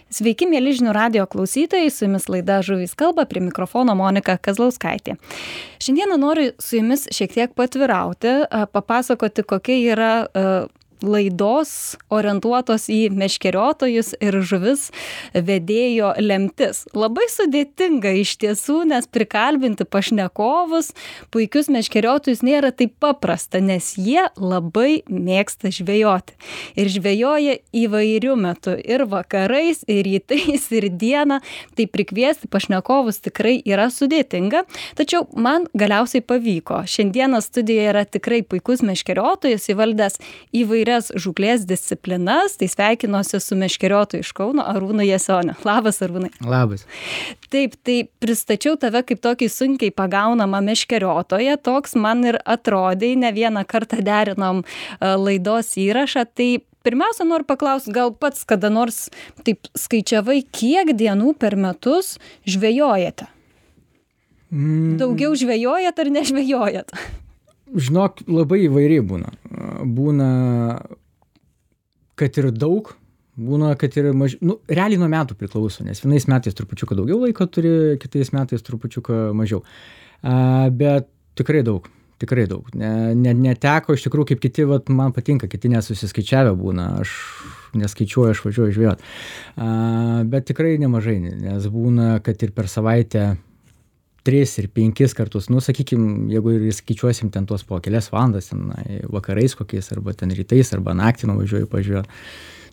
Sveiki, mėly žinių radijo klausytojai, su jumis laida Žuvys kalba, prie mikrofono Monika Kazlauskaitė. Šiandieną noriu su jumis šiek tiek patvirauti, papasakoti, kokia yra laidos orientuotos į meškeriotojus ir žuvis vedėjo lemtis. Labai sudėtinga iš tiesų, nes prikalbinti pašnekovus, puikius meškeriotojus nėra taip paprasta, nes jie labai mėgsta žvejoti. Ir žvejoja įvairių metų, ir vakarais, ir rytais, ir dieną. Tai prikviesti pašnekovus tikrai yra sudėtinga, tačiau man galiausiai pavyko. Šiandieną studijoje yra tikrai puikus meškeriotojas, įvaldęs įvairias žūklės disciplinas, tai sveikinuosi su meškeriotoju iš Kauno Arūnu Jasoniu. Labas, Arūnai. Labas. Taip, tai pristačiau tave kaip tokį sunkiai pagaunamą meškeriotoją, toks man ir atrodė, ne vieną kartą derinom laidos įrašą, tai pirmiausia noriu paklausti, gal pats kada nors taip skaičiavai, kiek dienų per metus žvejojate? Daugiau žvejojat ar nežvejojat? Žinok, labai įvairiai būna. Būna, kad ir daug, būna, kad ir mažiau. Nu, realiai nuo metų priklauso, nes vienais metais trupučiuką daugiau laiko turi, kitais metais trupučiuką mažiau. Bet tikrai daug. Neteko iš tikrųjų, kaip kiti, man patinka, kiti nesusiskaičiavę būna, aš neskaičiuoju, aš važiuoju žvejot. Bet tikrai nemažai, nes būna, kad ir per savaitę 3 ir 5 kartus, sakykim, jeigu ir skaičiuosim ten tuos po kelias valandas, ten vakarais kokiais, arba ten rytais, arba naktį nuvažiuoju pažiūrėti.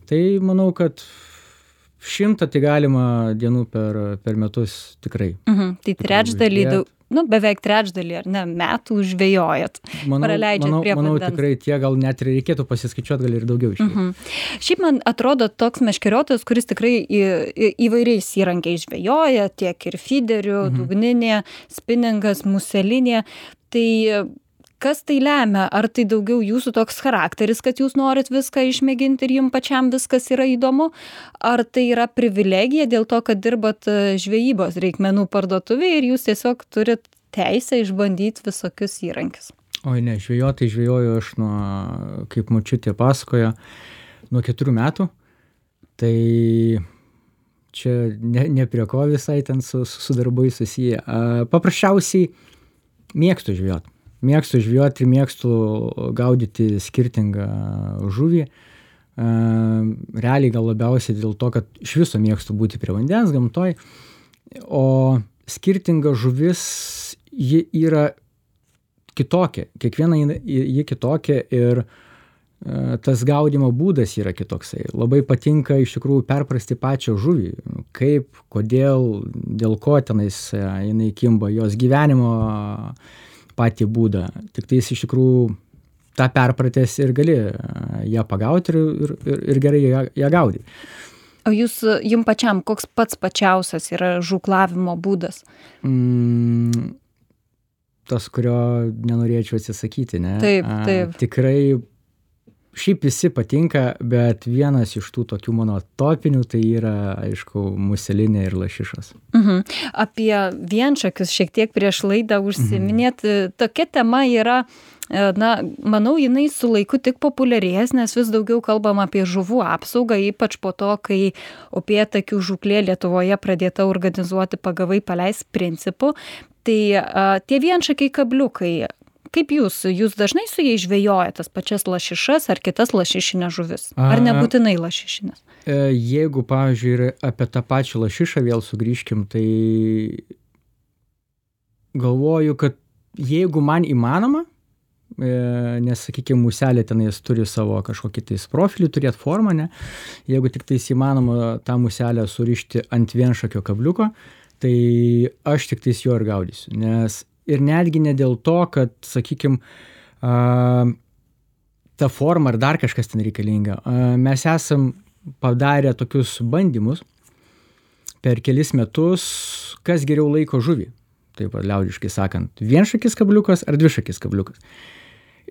Tai manau, kad 100 tai galima dienų per metus tikrai. Tai trečdalį, beveik trečdalį, ar ne, metų žvejojat. Praleidžiat prie vandens. Manau, tikrai tie gal net ir reikėtų pasiskaičiuoti, gal ir daugiau iš jų. Šiaip man atrodo toks meškeriotojas, kuris tikrai įvairiais įrankiais žvejoja, tiek ir fiderių, dugninė, spinningas, muselinė. Tai kas tai lemia? Ar tai daugiau jūsų toks charakteris, kad jūs norit viską išmėginti ir jums pačiam viskas yra įdomu? Ar tai yra privilegija dėl to, kad dirbat žvejybos reikmenų parduotuvėje ir jūs tiesiog turit teisę išbandyti visokius įrankius? Oi ne, žvejoju aš nuo, kaip močiutė pasakojo, nuo 4 metų. Tai čia ne prie ko visai ten su darbai susiję. Paprasčiausiai mėgstu žvejoti. Mėgstu žvejoti ir mėgstu gaudyti skirtingą žuvį. Realiai gal labiausiai dėl to, kad iš viso mėgstu būti prie vandens, gamtoj. O skirtinga žuvis, ji yra kitokia. Kiekviena ji kitokia ir tas gaudimo būdas yra kitoksai. Labai patinka iš tikrųjų perprasti pačią žuvį. Kaip, kodėl, dėl ko tenais jinai kimba, jos gyvenimo patį būdą. Tik tai iš tikrųjų tą perpratęs ir gali ją pagauti ir gerai ją gaudyti. O jums pačiam, koks pats pačiausias yra žūklavimo būdas? Tas, kurio nenorėčiau atsisakyti, ne? Taip. Tikrai šiaip visi patinka, bet vienas iš tų tokių mano topinių tai yra, aišku, muselinė ir lašišas. Apie vienšakius šiek tiek prieš laidą užsiminėt. Tokia tema yra, manau, jinai su laiku tik populiarės, nes vis daugiau kalbam apie žuvų apsaugą, ypač po to, kai upėtakių žūklė Lietuvoje pradėta organizuoti pagavai paleis principu. Tai tie vienšakiai kabliukai, kaip jūs dažnai su jais žvejojate tas pačias lašišas ar kitas lašišinės žuvis? Ar nebūtinai lašišinės? Jeigu, pavyzdžiui, apie tą pačią lašišą vėl sugrįžkim, tai galvoju, kad jeigu man įmanoma, nes, sakykime, muselė tenais turi savo kažkokį tais profilį, turėti formą, ne? Jeigu tik tais įmanoma tą muselę surišti ant vienšakio kabliuko, tai aš tik tais jo ir gaudysiu, nes ir netgi ne dėl to, kad, sakykime, ta forma ar dar kažkas ten reikalinga. Mes esam padarę tokius bandymus per kelis metus, kas geriau laiko žuvį. Taip, liaudiškai sakant, vienšakis kabliukas ar dvišakis kabliukas.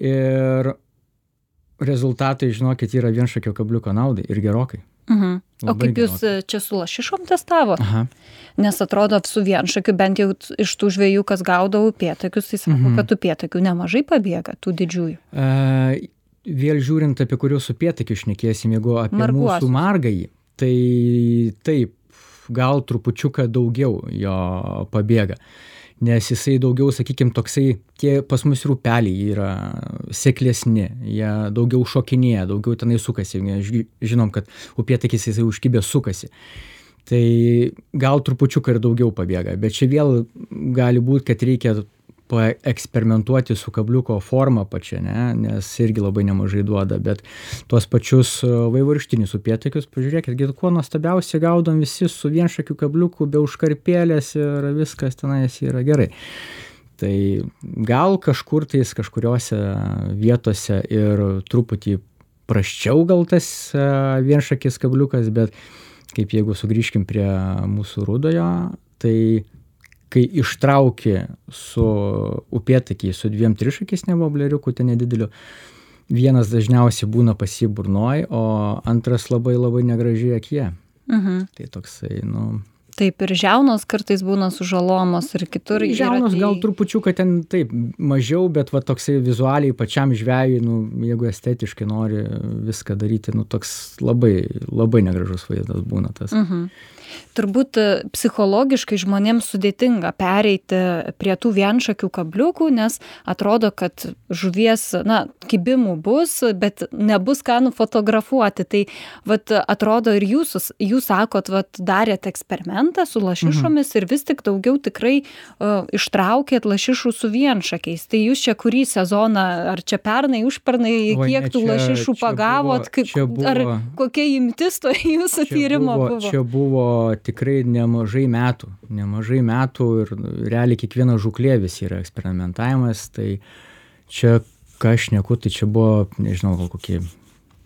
Ir rezultatai, žinokit, yra vienšakio kabliuko naudai ir gerokai. O kaip jūs čia su lašišom testavot? Nes atrodo su vienšakiu, bent jau iš tų žvejų, kas gaudo upėtakius, tai sako, kad upėtakių nemažai pabėga, tų didžiųjų. Vėl žiūrint, apie kuriuos upėtakius šnekėsim, jeigu apie mūsų margąjį, tai taip, gal trupučiuką daugiau jo pabėga. Nes jisai daugiau, sakykime, toksai, tie pas mus ir upeliai yra seklesni, jie daugiau šokinėja, daugiau tenai sukasi. Žinom, kad upėtakis jisai užkibęs sukasi. Tai gal trupučiuką ir daugiau pabėga, bet čia vėl gali būti, kad reikia paeksperimentuoti su kabliuko forma pačia, ne? Nes irgi labai nemažai duoda, bet tuos pačius vaivorykštinius upėtakius, pažiūrėkit, kuo nuostabiausiai gaudom visi su vienšakiu kabliuku, be užkarpėlės ir viskas tenais yra gerai. Tai gal kažkur tais kažkuriuose vietose ir truputį prasčiau gal tas vienšakis kabliukas, bet kaip jeigu sugrįžkim prie mūsų rudojo, tai kai ištrauki su upėtakiai, su 2 trišakiais nebobleriukų, tai nedideliu, vienas dažniausiai būna pas jį burnoj, o antras labai labai negražiai akyje. Tai toksai, Taip, ir žiaunos kartais būna sužalomos ir kitur. Žiaunos gal trupučiuką ten taip mažiau, bet va toksai vizualiai pačiam žvejui, jeigu estetiškai nori viską daryti, toks labai, labai negražus vaizdas būna tas. Turbūt psichologiškai žmonėms sudėtinga pereiti prie tų vienšakių kabliukų, nes atrodo, kad žuvies, kibimų bus, bet nebus ką nufotografuoti. Tai atrodo ir jūs sakot, darėt eksperimentą su lašišomis ir vis tik daugiau tikrai ištraukėt lašišų su vienšakiais. Tai jūs čia kurį sezoną, ar čia pernai, užpernai, kiek tų lašišų pagavot, ar kokia imtis to jūsų tyrimo buvo? Čia buvo tikrai nemažai metų ir realiai kiekviena žūklė vis yra eksperimentavimas, tai čia, ką aš šneku, tai čia buvo, nežinau, gal kokie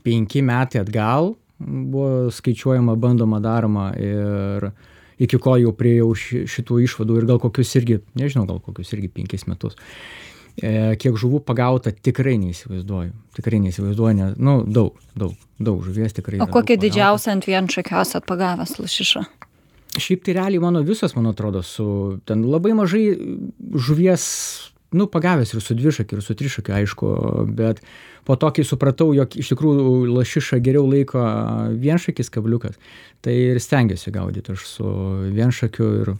5 metai atgal buvo skaičiuojama, bandoma, daroma ir iki ko jau priejau šitų išvadų ir gal kokius irgi 5 metus. Kiek žuvų pagauta, tikrai neįsivaizduoju, nes, daug žuvies tikrai. O kokią didžiausią ant vienšakio esat pagavęs lašišą? Šiaip tai realiai man atrodo, ten labai mažai žuvies, pagavęs ir su dvišakiu, ir su trišakiu, aišku, bet po to, kai supratau, jog iš tikrųjų lašišą geriau laiko vienšakis kabliukas, tai ir stengiuosi gaudyti aš su vienšakiu ir...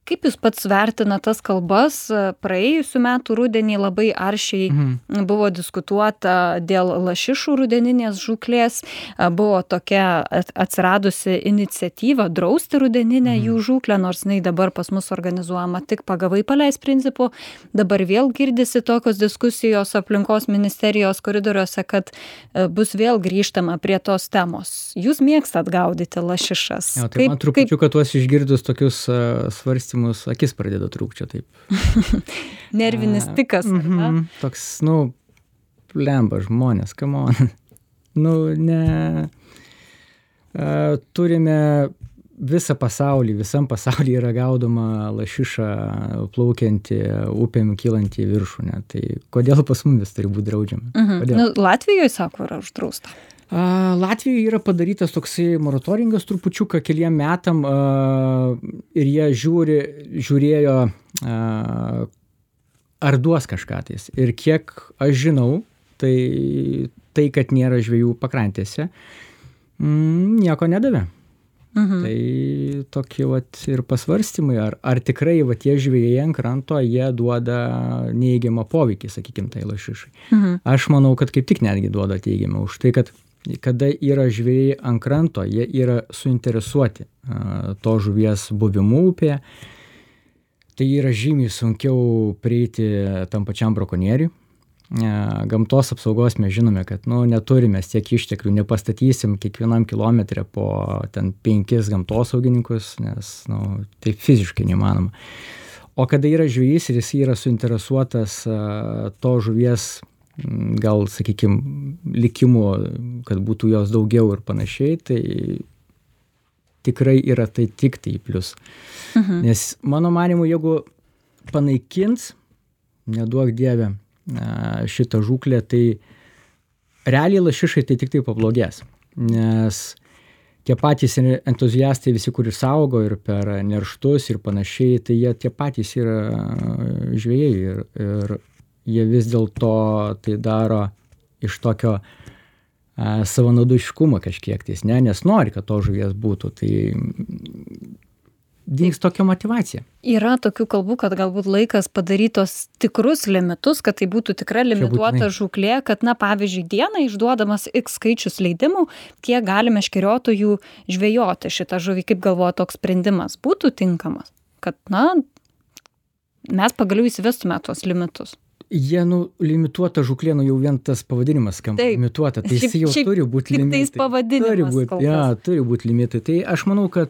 Kaip jūs pats vertina tas kalbas? Praėjusių metų rudenį labai aršiai buvo diskutuota dėl lašišų rudeninės žūklės. Buvo tokia atsiradusi iniciatyva drausti rudeninę jų žūklę, nors jinai dabar pas mus organizuojama tik pagavai paleis principu. Dabar vėl girdisi tokios diskusijos aplinkos ministerijos koridoriuose, kad bus vėl grįžtama prie tos temos. Jūs mėgstat gaudyti lašišas. Tai man trupučiu, kad tuos išgirdus tokius svarstymus akis pradeda trūkčioti taip. Nervinis tikas, ar ne? Toks, lemba žmonės, come on. Turime visam pasauly yra gaudoma lašiša plaukianti upėm kylanti į viršų, ne? Tai kodėl pas mumis turi būti draudžiama? Latvijoje, sako, yra uždrausta. Latvijoje yra padarytas toksai moratoringas trupučiuką keliem metam ir jie žiūrėjo, ar duos kažką tais. Ir kiek aš žinau, tai kad nėra žvejų pakrantėse, nieko nedavė. Tai tokie ir pasvarstymai, ar tikrai tie žvejai ant kranto, jie duoda neįgiamą poveikį, sakykime, tai lašišai. Aš manau, kad kaip tik netgi duoda teigiamą už tai, kad kada yra žvejai ant kranto, jie yra suinteresuoti to žuvies buvimu upėje, tai yra žymiai sunkiau prieiti tam pačiam brakonieriui. Gamtos apsaugos mes žinome, kad neturime tiek išteklių, nepastatysim kiekvienam kilometre po ten 5 gamtosaugininkus, nes tai fiziškai neįmanoma. O kada yra žvejys ir jis yra suinteresuotas to žuvies, gal, sakykime, likimu, kad būtų jos daugiau ir panašiai, tai tikrai yra tai tik tai plius. Nes mano manimu, jeigu panaikins, neduok Dieve, šitą žūklę, tai realiai lašišai tai tik tai pablogės. Nes tie patys entuziastai visi, kurie saugo ir per nerštus ir panašiai, tai jie tie patys yra žvejai ir jie vis dėlto tai daro iš tokio savanaudiškumą kažkiek tais, ne, nes nori, kad to žuvies būtų, tai dings tokia motyvacija. Yra tokių kalbų, kad galbūt laikas padarytos tikrus limitus, kad tai būtų tikra limituota žūklė, kad, na, pavyzdžiui, dieną išduodamas X skaičius leidimų, kiek gali meškeriotojų žvejoti šitą žuvį. Kaip galvoja, toks sprendimas būtų tinkamas? Kad, na, mes pagaliau įsivestume tuos limitus. Jie, limituota žūklė, jau vien tas pavadinimas skamba limituota, tai jis jau turi būti limitai. Tik tais pavadinimas kol kas. Turi būti limitai. Tai aš manau, kad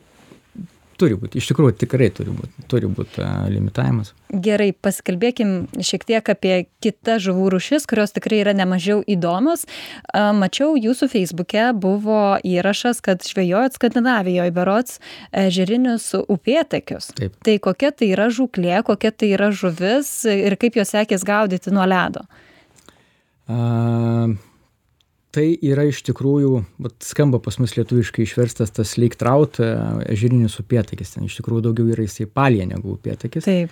turi būti, iš tikrųjų tikrai turi būti limitavimas. Gerai, pasikalbėkim šiek tiek apie kitas žuvų rūšis, kurios tikrai yra nemažiau įdomios. Mačiau jūsų Facebook'e buvo įrašas, kad žvejojat Skandinavijoje berods ežerinius upėtakius. Taip. Tai kokia tai yra žūklė, kokia tai yra žuvis ir kaip jos sekės gaudyti nuo ledo? Tai yra iš tikrųjų, skamba pas mus lietuviškai išverstas tas lake trout, ežerinis upėtakis. Ten iš tikrųjų daugiau yra jisai palija negu upėtakis. Taip.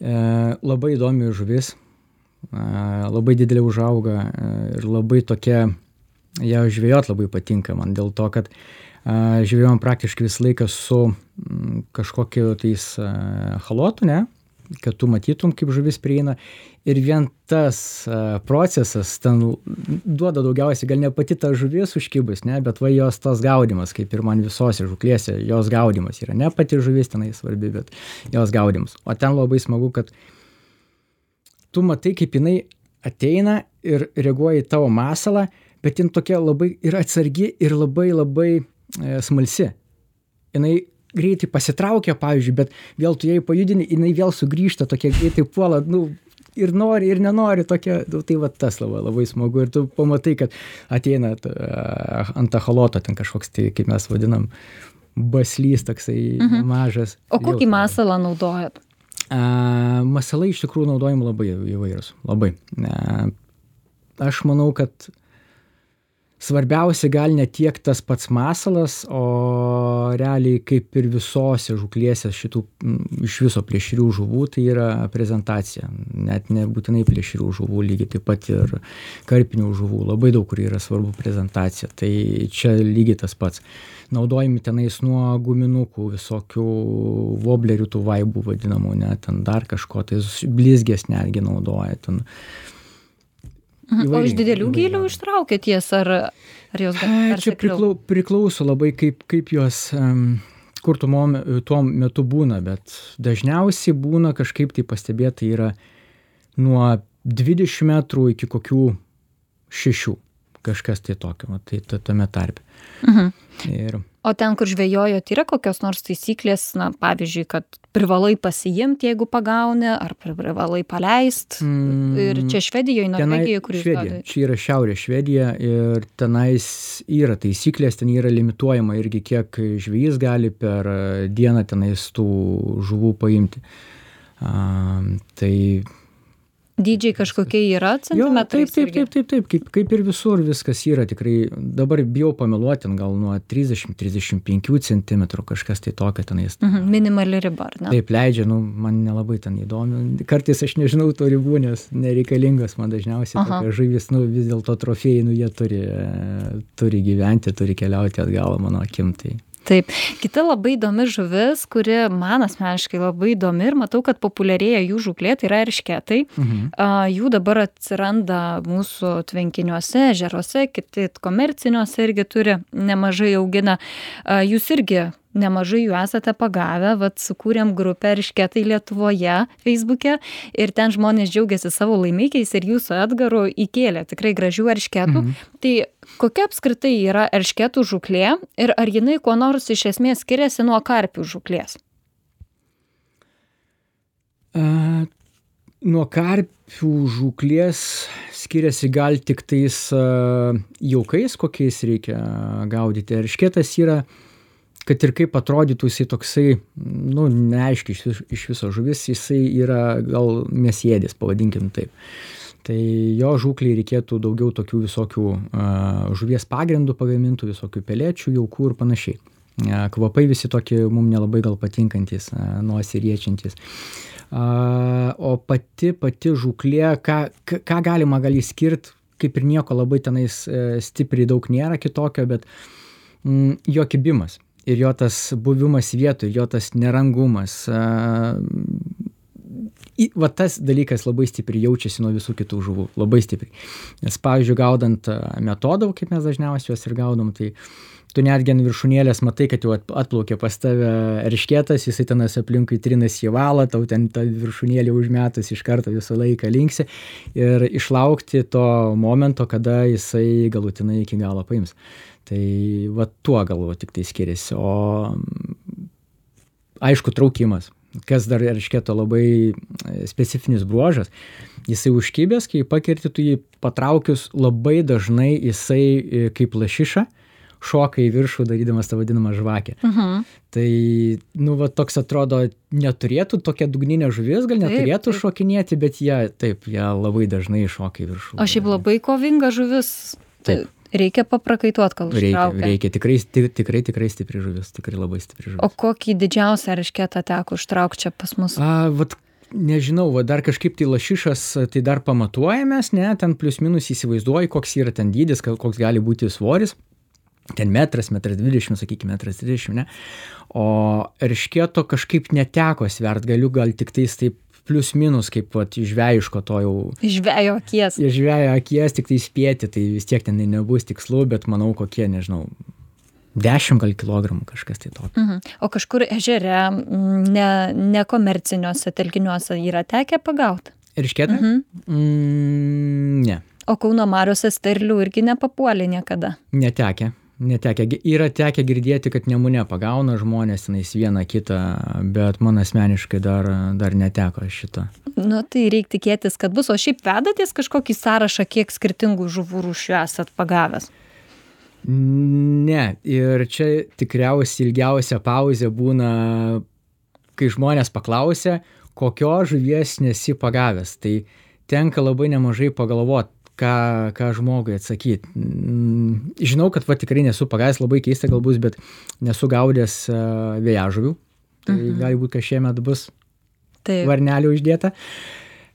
Labai įdomi žuvis, labai didelė užauga ir labai tokia, ją žvejot labai patinka man dėl to, kad žvejojam praktiškai visą laiką su kažkokiu tais halotu, ne? Kad tu matytum, kaip žuvis prieina. Ir vien tas procesas ten duoda daugiausiai, gal ne pati ta žuvis užkibus, ne, bet va jos tas gaudimas, kaip ir man visose žuklėse, jos gaudimas yra. Ne pati žuvis tenai svarbi, bet jos gaudimas. O ten labai smagu, kad tu matai, kaip jinai ateina ir reaguoja į tavo masalą, bet jin tokia labai ir atsargi ir labai smalsi. Jinai greitai pasitraukia, pavyzdžiui, bet vėl tu jai pajudini, jinai vėl sugrįžta, tokia greitai puola, ir nori, ir nenori, tokia, tai va tas labai smagu. Ir tu pamatai, kad ateina ant echoloto ten kažkoks, tai kaip mes vadinam, baslys toksai mažas. O kokį masalą naudojat? Masalai iš tikrųjų naudojami labai įvairūs, labai. Aš manau, kad svarbiausia gal ne tiek tas pats masalas, o realiai kaip ir visose žuklėse šitų iš viso plėšrių žuvų, tai yra prezentacija. Net nebūtinai plėšrių žuvų, lygiai taip pat ir karpinių žuvų. Labai daug kur yra svarbu prezentacija. Tai čia lygiai tas pats. Naudojami tenais nuo guminukų, visokių woblerių, tų vaibų vadinamų, ne, ten dar kažko, tai blizgės netgi naudoja ten. O iš didelių gylių ištraukėt jas, ar jos dar čia priklauso labai kaip jos, kur tuo metu būna, bet dažniausiai būna kažkaip tai pastebėta yra nuo 20 metrų iki kokių 6, kažkas tai tokio, tai tame tarpe. O ten, kur žvejojot, yra kokios nors taisyklės, na, pavyzdžiui, kad privalai pasiimti, jeigu pagauni, ar privalai paleist? Ir čia Švedijoje, Norvegijoje, kur jūs gaudėte? Čia yra Šiaurės Švedija ir tenais yra taisyklės, ten yra limituojama irgi, kiek žvejys gali per dieną tenais tų žuvų paimti. Tai dydžiai kažkokie yra centimetrais? Taip, kaip ir visur viskas yra tikrai, dabar bijau pameluoti, gal nuo 30-35 centimetrų kažkas tai tokio tenais. Minimali riba, ar ne? Taip, leidžia, man nelabai ten įdomi. Kartais aš nežinau to ribų, nes nereikalingas man dažniausiai tokia žuvis, vis dėlto trofėjai, jie turi gyventi, turi keliauti atgal mano akim. Taip. Kita labai įdomi žuvis, kuri man asmeniškai labai įdomi ir matau, kad populiarėja jų žūklė, tai yra eršketai. Jų dabar atsiranda mūsų tvenkiniuose, ežeruose, kiti komerciniuose irgi turi, nemažai augina. Jūs irgi nemažai jų esate pagavę, sukūrėm grupę eršketai Lietuvoje Facebook'e ir ten žmonės džiaugiasi savo laimikiais ir jūsų Edgaru įkėlė tikrai gražių eršketų. Tai kokia apskritai yra eršketų žūklė ir ar jinai kuo nors iš esmės skiriasi nuo karpių žūklės? Nuo karpių žūklės skiriasi gal tik tais jaukais, kokiais reikia gaudyti. Eršketas yra, kad ir kaip atrodytų jisai toksai, neaiškiai iš viso žuvis, jisai yra gal mėsėdis, pavadinkim taip. Tai jo žūklei reikėtų daugiau tokių visokių žuvies pagrindų pagamintų, visokių pelėčių, jaukų ir panašiai. Kvapai visi tokie mums nelabai gal patinkantis, nosį riečiantis. O pati žūklė, ką galima gal įskirti, kaip ir nieko labai tenais stipriai daug nėra kitokio, bet jo kibimas ir jo tas buvimas vietoj, jo tas nerangumas, va tas dalykas labai stipriai jaučiasi nuo visų kitų žuvų, labai stipriai. Nes, pavyzdžiui, gaudant metodą, kaip mes dažniausiai juos ir gaudom, tai tu netgi ant viršūnėlės matai, kad jau atplaukė pas tave eršketas, jisai tenas aplinkui trinas į valą, tau ten tą viršūnėlį užmetus iš karto visą laiką linksi ir išlaukti to momento, kada jisai galutinai iki galo paims. Tai va tuo galvoju tik tai skiriasi. O aišku, traukimas, kas dar eršketo labai specifinis bruožas, jisai užkibęs, kai pakirti tu jį patraukius, labai dažnai jisai kaip lašiša šoka į viršų, darydamas tą vadinamą žvakę. Tai, va toks atrodo, neturėtų tokia dugninė žuvis, gal neturėtų šokinėti, bet jie labai dažnai šoka į viršų. O šiaip labai kovinga žuvis. Taip. Reikia paprakaituot, kol užtraukia. Reikia, tikrai stipri žuvis, tikrai labai stipri žuvis. O kokį didžiausią eršketą teko užtraukti čia pas mus? Nežinau, dar kažkaip tai lašišas, tai dar pamatuojamės, ne, ten plius minus įsivaizduoju, koks yra ten dydis, koks gali būti svoris. Ten metras 20, sakykime, 1,30 m, ne? O eršketo kažkaip neteko svert, galiu gal tik tais taip plius minus, kaip žvejiško to jau. Žvejo akies. Žvejo akies, tik tai spėti, tai vis tiek ten nebus tikslu, bet manau kokie, nežinau, 10 gal kilogramų kažkas tai tokio. O kažkur ežere, nekomerciniuose telkiniuose yra tekę pagauti? Eršketą? Ne. O Kauno mariose sterlių irgi nepapuolė niekada? Netekę. Yra tekę girdėti, kad Nemune pagauna žmonės tenais vieną kitą, bet man asmeniškai dar neteko šito. Tai reikia tikėtis, kad bus. O šiaip vedatės kažkokį sąrašą, kiek skirtingų žuvų rūšių esat pagavęs? Ne, ir čia tikriausiai ilgiausia pauzė būna, kai žmonės paklausia, kokio žuvies nesi pagavęs. Tai tenka labai nemažai pagalvoti, ką žmogui atsakyti. Žinau, kad tikrai nesu pagavęs, labai keista gal bus, bet nesu gaudęs vėjažuvių. Tai gali būti, kad šiemet bus varnelių uždėta.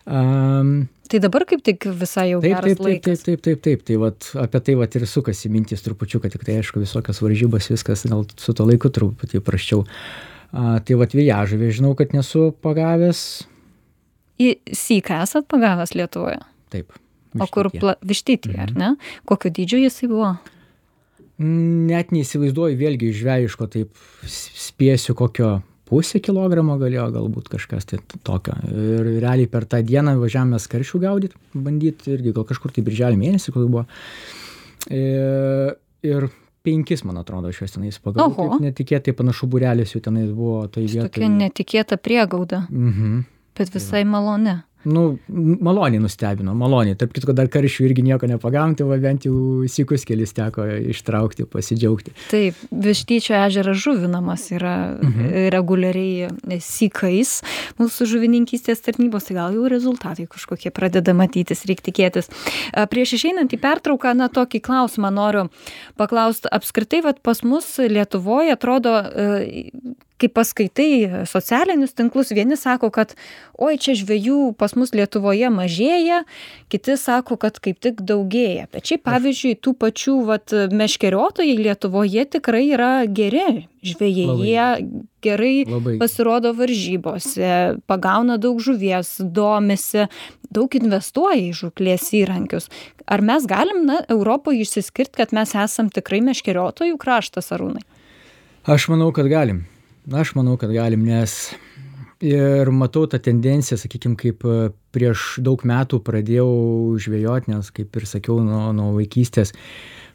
Tai dabar kaip tik visai jau geras laikas. Taip. Tai apie tai ir sukasi mintis trupučiuką, tik tai aišku visokios varžybos, viskas gal su to laiku truputį prasčiau. Tai vėjažuvė žinau, kad nesu pagavęs. Į syką esat pagavęs Lietuvoje? Taip. O kur vištytį, ar ne? Kokio dydžio jisai buvo? Net neįsivaizduoju, vėlgi žvejiško, taip spėsiu kokio 0,5 kilogramo galėjo galbūt kažkas tai tokio. Ir realiai per tą dieną važiavome karšių gaudyti, bandyti, irgi gal kažkur tai birželio mėnesį, kol buvo. Ir 5, man atrodo, šios tenais pagavau. Taip netikėtai panašu būrelis jų tenais buvo. Tokia netikėta priegauda, bet visai maloni. Maloniai nustebino, maloniai. Tarp kitko, dar karšių irgi nieko nepagavom, tai bent jau sykus kelis teko ištraukti, pasidžiaugti. Taip, Vištyčio ežeras žuvinamas yra reguliariai sykais mūsų žuvininkystės tarnybos, tai gal jau rezultatai kažkokie pradeda matytis, reikia tikėtis. Prieš išeinant į pertrauką, tokį klausimą noriu paklausti. Apskritai, pas mus Lietuvoje atrodo, kai paskaitai socialinius tinklus, vieni sako, kad oi, čia žvejų pas mus Lietuvoje mažėja, kiti sako, kad kaip tik daugėja. Bet šiaip, pavyzdžiui, tų pačių meškeriotojai Lietuvoje tikrai yra geri žvejai. Jie gerai pasirodo varžybose, pagauna daug žuvies, domisi, daug investuoja į žūklės įrankius. Ar mes galim, Europoje išsiskirti, kad mes esam tikrai meškeriotojų kraštas, Arūnai? Aš manau, kad galim, nes ir matau tą tendenciją, sakykime, kaip prieš daug metų pradėjau žvejoti, nes, kaip ir sakiau, nuo vaikystės,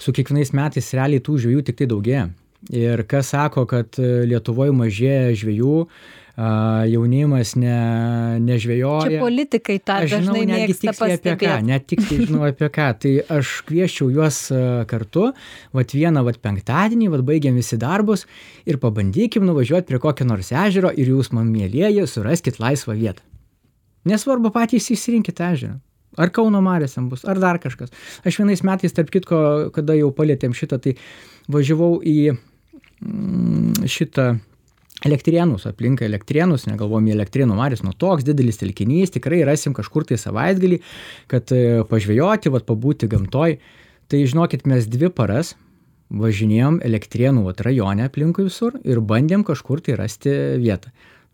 su kiekvienais metais realiai tų žvejų tik tai daugėja. Ir kas sako, kad Lietuvoje mažėja žvejų, jaunimas nežvejoja. Čia politikai tą dažnai mėgsta pastebėti. Net tiksliai žinau apie ką. Tai aš kvieščiau juos kartu, vieną penktadienį, baigiam visi darbus ir pabandykim nuvažiuoti prie kokio nors ežero ir jūs, man mielieji, suraskit laisvą vietą. Nesvarbu, patys išsirinkit ežerą. Ar Kauno mariose bus, ar dar kažkas. Aš vienais metais, tarp kitko, kada jau palėtėm šitą, tai važiavau į šitą Elektrėnus, aplink Elektrėnus, negalvom į Elektrėnų marias, toks didelis telkinys, tikrai rasim kažkur tai savaitgalį, kad pažvejoti, pabūti gamtoj. Tai žinokit, mes 2 paras važinėjom Elektrėnų rajone aplinkui visur ir bandėm kažkur tai rasti vietą.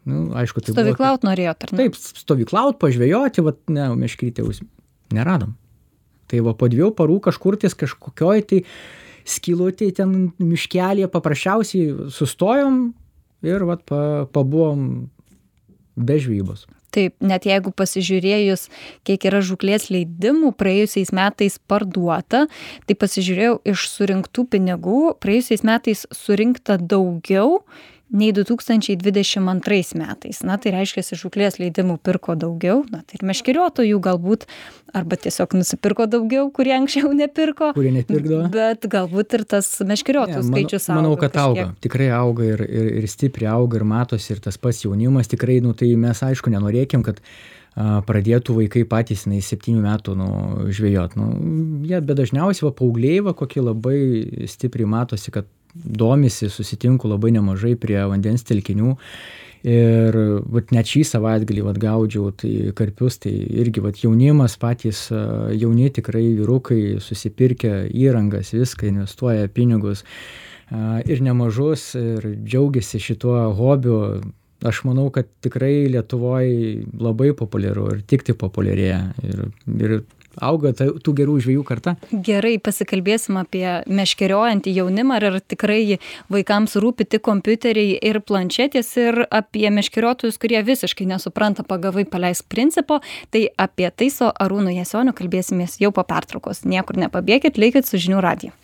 Aišku, tai stovyklaut norėjot, ar ne? Taip, stovyklaut, pažvejoti, meškrytę neradom. Tai po 2 parų kažkur ties kažkokioj tai skylutėj ten miškelėje paprasčiausiai sustojom ir pabuvom be žvejybos. Taip, net jeigu pasižiūrėjus, kiek yra žūklės leidimų praėjusiais metais parduota, tai pasižiūrėjau iš surinktų pinigų, praėjusiais metais surinkta daugiau nei 2022 metais. Tai reiškia, žūklės leidimų pirko daugiau, tai ir meškeriotojų galbūt, arba tiesiog nusipirko daugiau, kurie anksčiau nepirko. Kurie nepirkdavo. Bet galbūt ir tas meškeriotojų skaičius auga. Manau, kad auga. Tikrai auga ir stipriai auga ir matosi ir tas pats jaunimas. Tikrai, tai mes aišku nenorėkim, kad pradėtų vaikai patys 7 metų žvejot. Jie, bet dažniausiai paaugliai, kokie labai stipriai matosi, kad domisi, susitinku labai nemažai prie vandens telkinių ir net šį savaitgalį gaudžiau tai karpius, tai irgi jaunimas patys, jauni tikrai vyrukai susipirkę įrangas, viską investuoja pinigus ir nemažus ir džiaugiasi šituo hobiu. Aš manau, kad tikrai Lietuvoje labai populiaru ir tik tai populiarėja ir auga tų gerų žvejų karta. Gerai, pasikalbėsim apie meškeriojantį jaunimą, ar tikrai vaikams rūpi tik kompiuteriai ir planšetės ir apie meškeriotojus, kurie visiškai nesupranta pagavai paleisk principo. Tai apie tai su Arūnu Jasioniu kalbėsimės jau po pertraukos. Niekur nepabėkit, likit su Žinių radiju.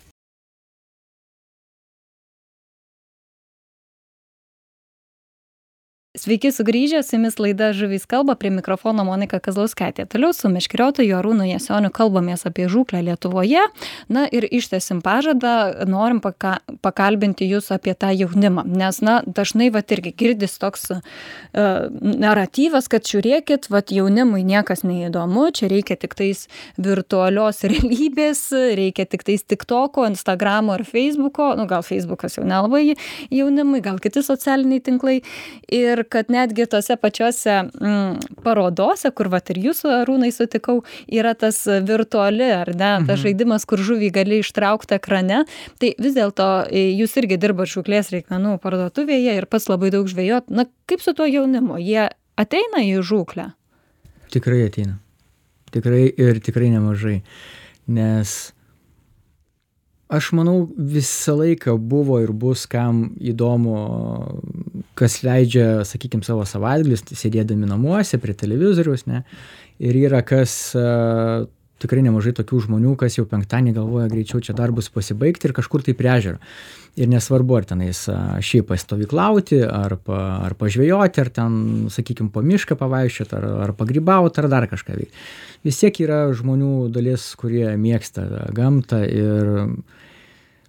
Sveiki sugrįžę, su jumis laida Žuvys kalba, prie mikrofono Monika Kazlauskaitė. Toliau su meškeriotoju Arūnu Jasioniu kalbamės apie žūklę Lietuvoje. Ir ištęsim pažadą, norim pakalbinti jūs apie tą jaunimą, nes dažnai irgi girdis toks naratyvas, kad žiūrėkit, jaunimui niekas neįdomu, čia reikia tik tais virtualios realybės, reikia tik tais TikToko, Instagramo ar Facebooko, gal Facebookas jau nelabai jaunimui, gal kiti socialiniai tinklai. Ir kad netgi tose pačiose parodose, kur ir jūsų Arūnai sutikau, yra tas virtuali, ar ne, tas žaidimas, kur žuvį gali ištraukti ekrane. Tai vis dėlto jūs irgi dirbat žūklės reikmenų parduotuvėje ir pats labai daug žvejot. Kaip su tuo jaunimu? Jie ateina į žūklę? Tikrai ateina. Tikrai nemažai. Nes aš manau, visą laiką buvo ir bus kam įdomu, kas leidžia, sakykime, savo savaitgalius, sėdėdami namuose prie televizoriaus, ne? Ir yra tikrai nemažai tokių žmonių, kas jau penktadienį galvoja greičiau čia darbus pasibaigti ir kažkur tai prie ežero. Ir nesvarbu, ar tenais šiaip pastovyklauti, ar pažvejoti, ar ten, sakykime, po mišką pavaikščioti, ar pagrybauti, ar dar kažką veikti. Vis tiek yra žmonių dalis, kurie mėgsta gamtą ir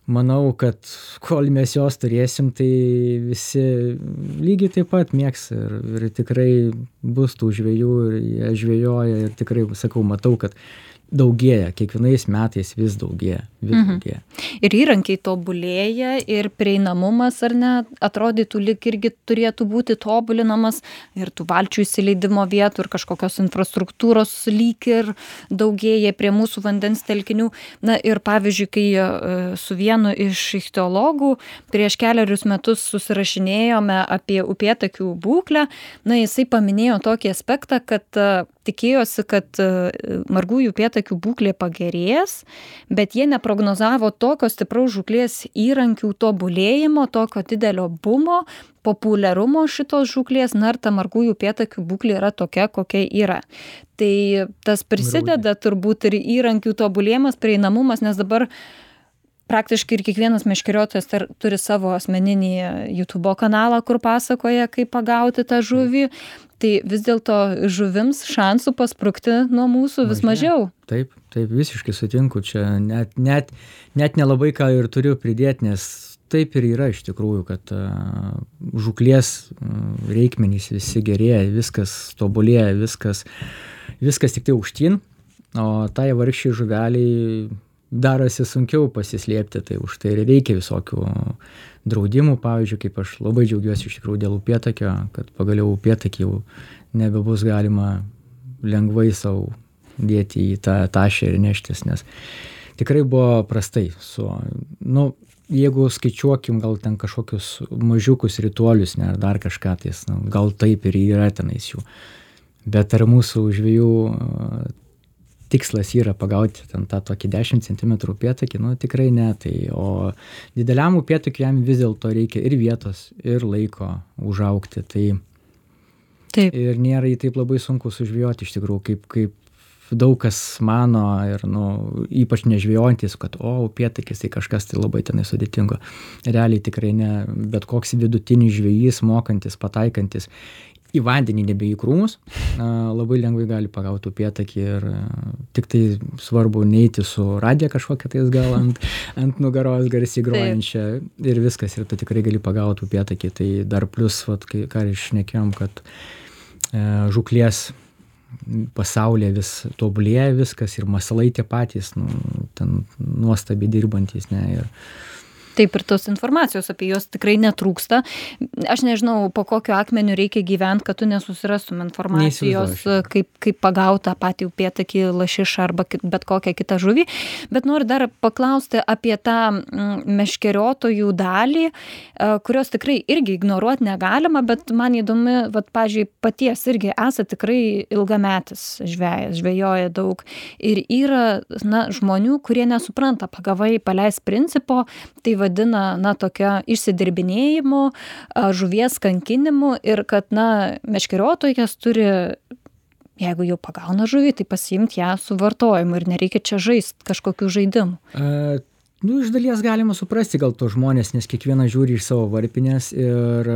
manau, kad kol mes jos turėsim, tai visi lygiai taip pat mėgs ir tikrai bus tų žvejų ir jie žvejoja ir tikrai, sakau, matau, kad daugėja, kiekvienais metais vis daugėja. Ir įrankiai tobulėja ir prieinamumas, ar ne, atrodytų lyg irgi turėtų būti tobulinamas ir tų valčių įsileidimo vietų ir kažkokios infrastruktūros lyg ir daugėja prie mūsų vandens telkinių. Ir pavyzdžiui, kai su vienu iš ichtiologų prieš kelerius metus susirašinėjome apie upėtakių būklę, jisai paminėjo tokį aspektą, kad tikėjosi, kad margųjų upėtakių būklė pagerės, bet jie neprognozavo tokio stipraus žūklės įrankių tobulėjimo, tokio didelio bumo, populiarumo šitos žūklės, ir ta margųjų upėtakių būklė yra tokia, kokia yra. Tai tas prisideda turbūt ir įrankių tobulėjimas, prieinamumas, nes dabar praktiškai ir kiekvienas meškeriotojas turi savo asmeninį YouTube kanalą, kur pasakoja, kaip pagauti tą žuvį. Tai vis dėlto žuvims šansų pasprukti nuo mūsų vis mažiau. Taip, visiškai sutinku. Čia net nelabai ką ir turiu pridėti, nes taip ir yra iš tikrųjų, kad žūklės reikmenys visi gerėja, viskas tobulėja, viskas tik tai aukštyn, o tai vargšiai žuveliai darosi sunkiau pasislėpti, tai už tai ir reikia visokių draudimų, pavyzdžiui, kaip aš labai džiaugiuosi iš tikrųjų dėl upėtakio, kad pagaliau upėtakį jau nebebus galima lengvai savo dėti į tą tašę ir neštis, nes tikrai buvo prastai su, jeigu skaičiuokim gal ten kažkokius mažiukus rituolius, ne, ar dar kažką tais, gal taip ir yra tenais jų, bet ar mūsų žvejų tikslas yra pagauti ten tą tokį 10 cm upėtakį, tikrai ne, tai o dideliam upėtakiui jam vis dėlto reikia ir vietos, ir laiko užaugti, tai Taip. Ir nėra jį taip labai sunku sužvejoti iš tikrųjų, kaip daug kas mano ir, ypač nežvejojantis, kad, upėtakis tai kažkas tai labai tenai sudėtingo. Realiai tikrai ne, bet koks vidutinis žvejys, mokantis, pataikantis į vandenį nebe į krūmus, labai lengvai gali pagauti upėtakį ir tik tai svarbu neiti su radija kažkokia tais gal ant nugaros garsiai grojančia ir viskas, ir tu tikrai gali pagauti upėtakį. Tai dar plus, ką ir šnekėjom, kad žuklės pasaulyje vis tobulėja viskas ir masalai tie patys, ten nuostabiai dirbantis, ne, ir Taip, ir tos informacijos apie juos tikrai netrūksta. Aš nežinau, po kokiu akmeniu reikia gyventi, kad tu nesusirastum informacijos, kaip pagauti tą patį upėtakį, lašišą arba bet kokią kitą žuvį. Bet noriu dar paklausti apie tą meškeriotojų dalį, kurios tikrai irgi ignoruoti negalima, bet man įdomi, pavyzdžiui, paties irgi esate tikrai ilgametis žvejas, žvejoja daug. Ir yra žmonių, kurie nesupranta pagavai paleis principo, tai vadina, tokia išsidirbinėjimu, žuvies kankinimu ir kad, meškeriotojas turi, jeigu jau pagauna žuvį, tai pasiimti ją su vartojimu ir nereikia čia žaisti kažkokių žaidimų. Iš dalies galima suprasti gal to žmonės, nes kiekvienas žiūri iš savo varpinės ir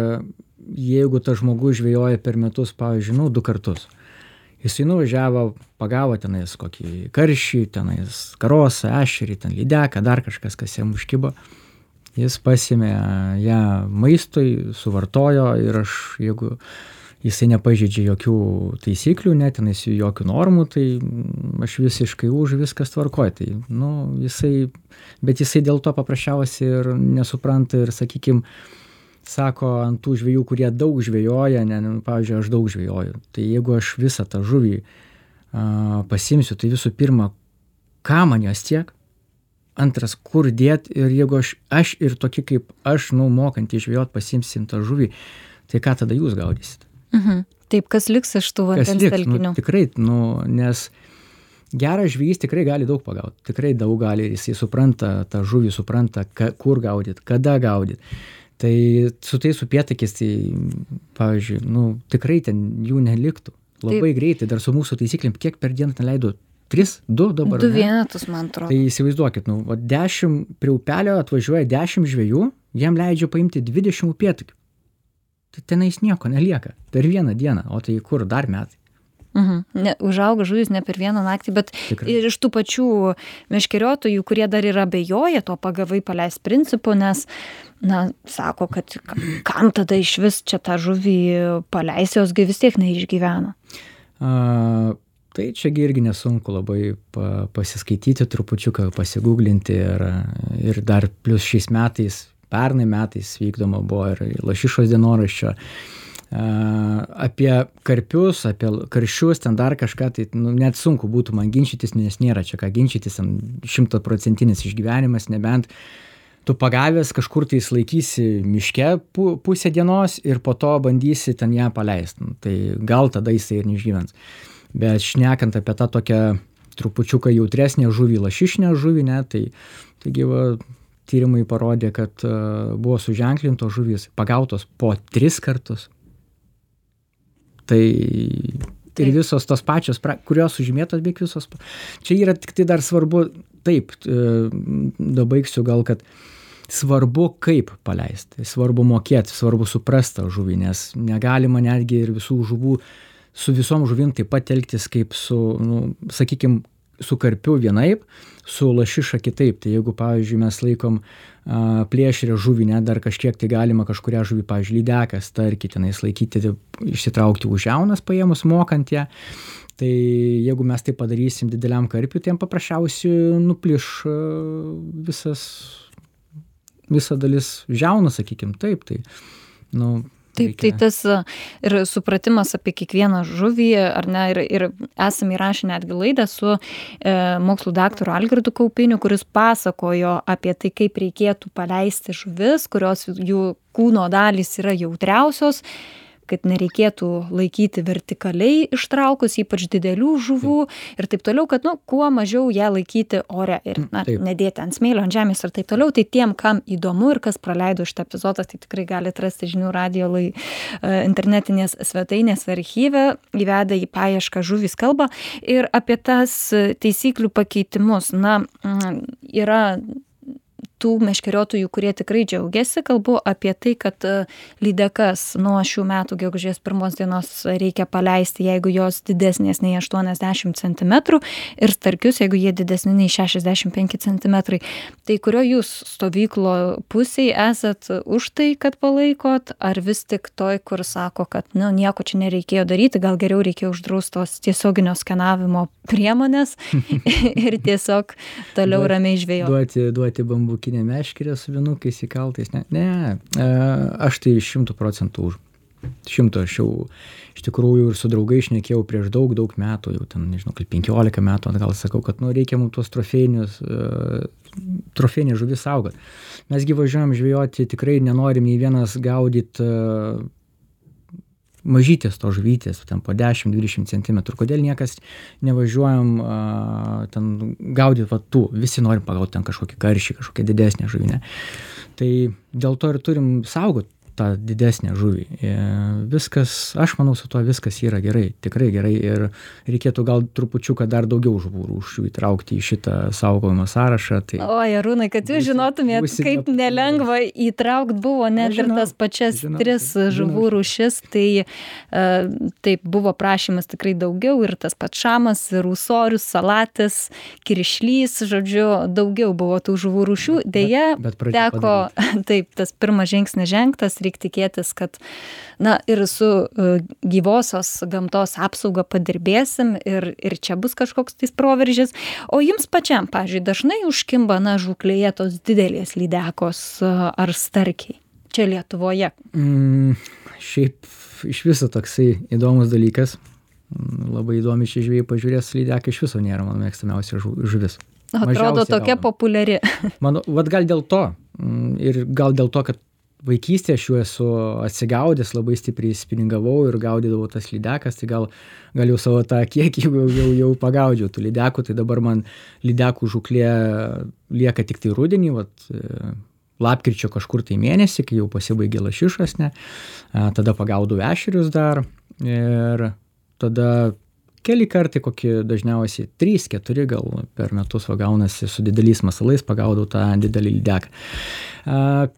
jeigu tas žmogus žvejoja per metus, pavyzdžiui, 2 kartus, jisai nuvažiavo, pagavo tenais kokį karšį, tenais karosą, ešerį, ten lydeką, dar kažkas, kas jam užkibo. Jis pasiėmė ją maistui, suvartojo ir jeigu jisai nepažeidžia jokių taisyklių, tenais jokių normų, tai aš visiškai už, viskas tvarkoja. Tai, bet jisai dėl to paprasčiausiai ir nesupranta ir, sakykime, sako ant tų žvejų, kurie daug žvejoja, pavyzdžiui, aš daug žvejoju. Tai jeigu aš visą tą žuvį pasimsiu, tai visų pirma, ką man jos tiek? Antras, kur dėti ir jeigu aš ir tokie kaip aš, mokantį žvejot pasimsim tą žuvį, tai ką tada jūs gaudysit? Taip, kas liks iš tų vandens telkinių? Tikrai, nes geras žvejys tikrai gali daug pagauti, tikrai daug gali ir jisai supranta, tą žuvį supranta, kur gaudyti, kada gaudyti. Tai su tais upėtakis, tai pavyzdžiui, tikrai ten jų neliktų. Labai greitai, dar su mūsų taisyklėm, kiek per dieną ten leido? 3, 2 dabar. 2 vienetus, man atrodo. Tai įsivaizduokit, 10 prie upelio atvažiuoja 10 žvejų, jiem leidžia paimti 20 upėtakių. Tai tenais nieko nelieka per vieną dieną, o tai kur dar metai? Užauga žuvis ne per vieną naktį, bet ir iš tų pačių meškeriotojų, kurie dar ir abejoja to pagavai paleis principu, nes, sako, kad kam tada iš vis čia tą žuvį paleis, josgi vis tiek neišgyvena. Tai čiagi irgi nesunku labai pasiskaityti, trupučiuką pasigūglinti ir dar plus šiais metais, pernai metais vykdoma buvo ir lašišos dienoraščio apie karpius, apie karšius, ten dar kažką, tai net sunku būtų man ginčytis, nes nėra čia ką ginčytis, 100% išgyvenimas, nebent tu pagavęs kažkur tai laikysi miške pusę dienos ir po to bandysi ten ją paleisti. Tai gal tada jisai ir neišgyvens. Bet šnekant apie tą tokią trupučiuką jautresnę žuvį, lašišinę žuvį, taigi tyrimai parodė, kad buvo suženklintos žuvys pagautos po 3 kartus. Tai ir visos tos pačios, kurios sužymėtos, beveik visos. Čia yra tik tai dar svarbu, taip, dabaigsiu gal, kad svarbu kaip paleisti, svarbu mokėti, svarbu suprasti tą žuvį, nes negalima netgi ir visų žuvų su visom žuvim taip pat elgtis kaip su, sakykime, su karpiu vienaip, su lašiša kitaip. Tai jeigu, pavyzdžiui, mes laikom plėšrę žuvį, ne, dar kažkiek tai galima kažkurią žuvį, pavyzdžiui, lydeką, starkį tenais laikyti, išsitraukti už jaunas paėmus, mokant ją. Tai jeigu mes tai padarysim dideliam karpiu, tai jam paprasčiausiai nupliš visa dalis žiauną, sakykim, taip, tai, Taip, tai tas ir supratimas apie kiekvieną žuvį, ar ne, ir esame įrašę netgi laidą su mokslų daktaru Algirdu Kaupiniu, kuris pasakojo apie tai, kaip reikėtų paleisti žuvis, kurios jų kūno dalys yra jautriausios, kad nereikėtų laikyti vertikaliai ištraukus, ypač didelių žuvų ir taip toliau, kad kuo mažiau ją laikyti ore ir nedėti ant smėlio, ant žemės ir taip toliau. Tai tiem, kam įdomu ir kas praleido šitą epizodą, tai tikrai galite rasti Žinių radijo internetinės svetainės archyve, įvedę į paiešką žuvys kalba. Ir apie tas taisyklių pakeitimus, yra tų meškeriotojų, kurie tikrai džiaugiasi, kalbu apie tai, kad lydekas nuo šių metų gegužės 1 dienos reikia paleisti, jeigu jos didesnės nei 80 cm ir starkius, jeigu jie didesni nei 65 cm. Tai kurio jūs stovyklo pusėje esat už tai, kad palaikot, ar vis tik toj, kur sako, kad nieko čia nereikėjo daryti, gal geriau reikėjo uždraustos tiesioginio skenavimo priemonės ir tiesiog toliau ramiai žvejoti. Duoti bambukinę meškerę su vienukais įkaltais. Ne, aš tai 100% už. 100, aš jau iš tikrųjų ir su draugai šnekėjau prieš daug metų, jau ten, nežinau, 15 metų atgal sakau, kad reikia mums tuos trofėjinės žuvis saugot. Mesgi važiuojam žvejoti, tikrai nenorim nei vienas gaudyti mažytės to žuvytės, ten po 10-20 cm. Kodėl niekas nevažiuojam ten gaudyti tų, visi norim pagauti ten kažkokį karšį, kažkokią didesnę žuvinę. Tai dėl to ir turim saugot tą didesnę žuvį. Viskas, aš manau, su tuo viskas yra gerai, tikrai gerai ir reikėtų gal trupučiuką dar daugiau žuvų rūšių įtraukti į šitą saugojimo sąrašą. Tai Arūnai, kad jūs žinotumėt, kaip nelengva įtraukti buvo net ir tas pačias 3 žuvų rūšis, tai taip buvo prašymas tikrai daugiau ir tas pats šamas, ir ūsorius, salatis, kiršlys, žodžiu, daugiau buvo tų žuvų rūšių. Deja, teko, taip, tas pirmas žingsnis žengtas, reikia tikėtis, kad ir su gyvosios gamtos apsauga padirbėsim ir čia bus kažkoks tais proveržis. O jums pačiam, pavyzdžiui, dažnai užkimba žūklėje tos didelės lydekos ar starkiai čia Lietuvoje? Šiaip iš viso toksai įdomus dalykas. Labai įdomi šį žvėjai pažiūrės, lydekai iš viso nėra mano mėgstamiausia žuvis. Atrodo tokia populiari. Gal dėl to ir gal dėl to, kad vaikystėje aš jau esu atsigaudęs, labai stipriai spiningavau ir gaudydavau tas lydekas, tai gal jau savo tą kiekį jau pagaudžiau tų lydekų, tai dabar man lydekų žūklė lieka tik tai rudenį, lapkričio kažkur tai mėnesį, kai jau pasibaigė lašišas, tada pagaudau ešerius dar ir tada keli kartai, kokie dažniausiai 3-4 gal per metus gaunasi su dideliais masalais, pagaudau tą didelį lydeką.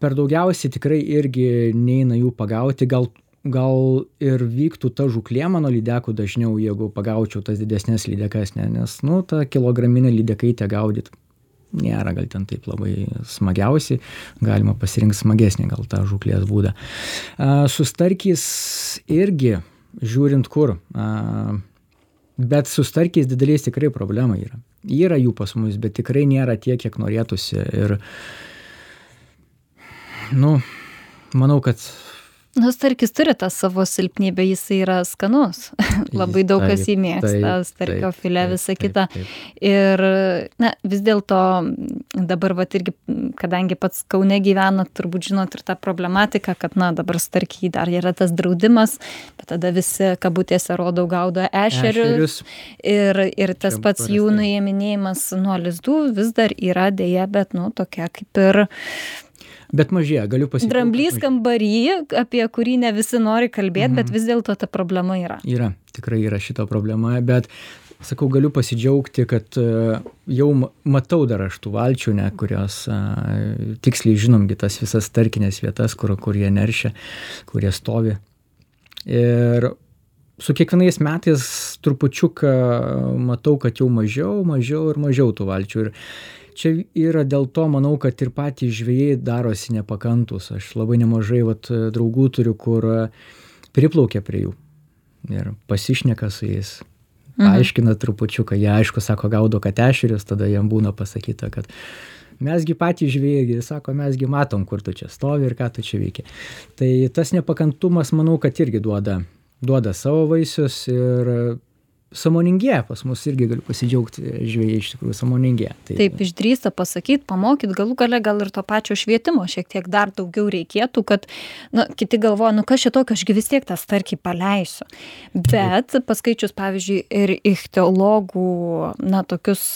Per daugiausiai tikrai irgi neina jų pagauti, gal ir vyktų ta žūklė mano lydekų dažniau, jeigu pagaučiau tas didesnės lydekas, nes ta kilograminė lydekaitė gaudyti nėra gal ten taip labai smagiausiai, galima pasirinkti smagesnį gal tą žūklės būdą. Su starkiais irgi, žiūrint kur, bet su starkiais dideliais tikrai problema yra. Yra jų pas mus, bet tikrai nėra tiek, kiek norėtųsi. Ir, manau, kad starkis turi tą savo silpnybę, jis yra skanus. Labai daug kas jį mėgsta, starkio filė, visa kita. Ir vis dėlto dabar irgi, kadangi pats Kaune gyvena, turbūt žinot ir tą problematiką, kad dabar starkiai dar yra tas draudimas, bet tada visi kabutėse gaudo ešerius. Ir tas pats jų nuėminėjimas nuo lizdų vis dar yra deja, bet tokia kaip ir bet mažėja, galiu pasidžiaugti. Dramblys kambarį, apie kurį ne visi nori kalbėti, bet vis dėlto ta problema yra. Yra, tikrai yra šita problema, bet, sakau, galiu pasidžiaugti, kad jau matau dar aš tų valčių, kurios tiksliai žinomgi tas visas starkinės vietas, kur jie neršia, kur jie stovi. Ir su kiekvienais metais trupučiuką matau, kad jau mažiau tų valčių. Ir čia yra dėl to, manau, kad ir patys žvejai darosi nepakantus. Aš labai nemažai draugų turiu, kur priplaukia prie jų ir pasišneka su jais. Aiškina trupučiuką, jie aišku sako, gaudo ešerius, tada jam būna pasakyta, kad mesgi patys žvėjai, sako, mesgi matom, kur tu čia stovi ir ką tu čia veikia. Tai tas nepakantumas, manau, kad irgi duoda savo vaisius ir sąmoningėja, pas mus irgi galiu pasidžiaugti, žvėjai iš tikrųjų sąmoningėja. Taip, išdrįsta pasakyti, pamokyt, galų gale gal ir to pačio švietimo šiek tiek dar daugiau reikėtų, kad kiti galvoja, kas čia tokio, ašgi vis tiek tą starkį paleisiu. Bet paskaičius, pavyzdžiui, ir ichtiologų, tokius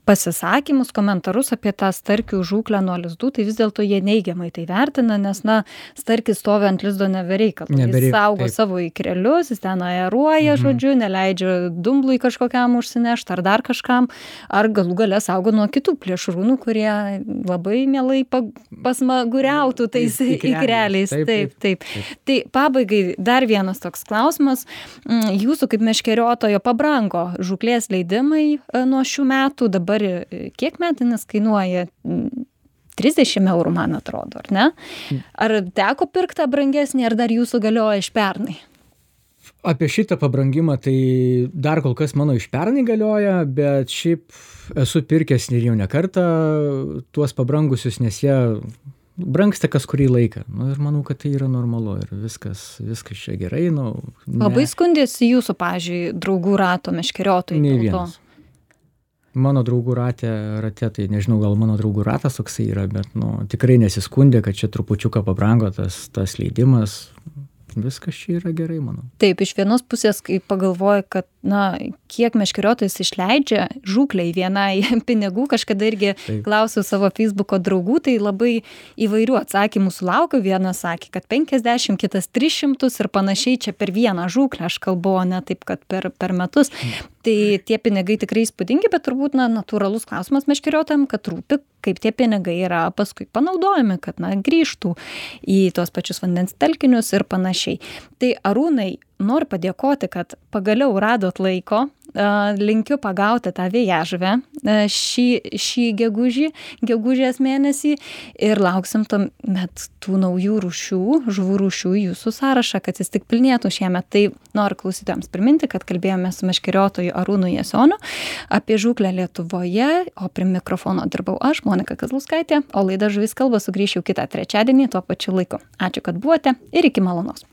pasisakymus, komentarus apie tą starkių žūklę nuo lizdų, tai vis dėlto jie neigiamai tai vertina, nes starkis stovi ant lizdo nebereikalų. Jis saugo savo ikrelius, jis ten aeruoja, žodžiu, neleidžia dumblui kažkokiam užsinešti ar dar kažkam, ar galų gale saugo nuo kitų plėšrūnų, kurie labai mielai pasmaguriautų tais ikreliais. Taip. Tai pabaigai dar vienas toks klausimas. Jūsų kaip meškeriotojo pabrango žūklės leidimai nuo šių metų. Dabar kiek metinis kainuoja? 30 eurų, man atrodo, ar ne? Ar teko pirkti brangesnį, ar dar jūsų galioja iš pernai? Apie šitą pabrangimą tai dar kol kas mano iš pernai galioja, bet šiaip esu pirkęs ir jau ne kartą tuos pabrangusius, nes jie brangsta kas kurį laiką. Ir manau, kad tai yra normalu ir viskas čia gerai. Labai skundėsi jūsų, pavyzdžiui, draugų rato meškeriotojai? Nei vienas. Mano draugų rate, tai nežinau, gal mano draugų ratas toksai yra, bet tikrai nesiskundė, kad čia trupučiuką pabrango tas leidimas. Viskas čia yra gerai, manau. Taip, iš vienos pusės, kai pagalvoju, kad, kiek meškeriotojas išleidžia žūklei vienai pinigų, kažkada irgi klausiau savo Facebooko draugų, tai labai įvairių atsakymų sulaukiu. Vienas sakė, kad 50, kitas 300 ir panašiai čia per vieną žūklę, aš kalbu, ne taip, kad per metus. Tai tie pinigai tikrai įspūdingi, bet turbūt natūralus klausimas meškeriotojam, kad rūpi, kaip tie pinigai yra paskui panaudojami, kad grįžtų į tuos pačius vandens telkinius ir panašiai. Tai Arūnai, noriu padėkoti, kad pagaliau radot laiko, linkiu pagauti tą vėjažuvę šį gegužės mėnesį ir lauksim tuomet tų naujų žuvų rūšių į jūsų sąrašą, kad jis tik pilnėtų šiemet. Tai noriu klausytojams priminti, kad kalbėjome su meškeriotoju Arūnu Jasoniu apie žūklę Lietuvoje, o prie mikrofono dirbau aš, Monika Kazlauskaitė, o laida Žuvys kalba sugrįš jau kitą trečiadienį tuo pačiu laiku. Ačiū, kad buvote ir iki malonaus.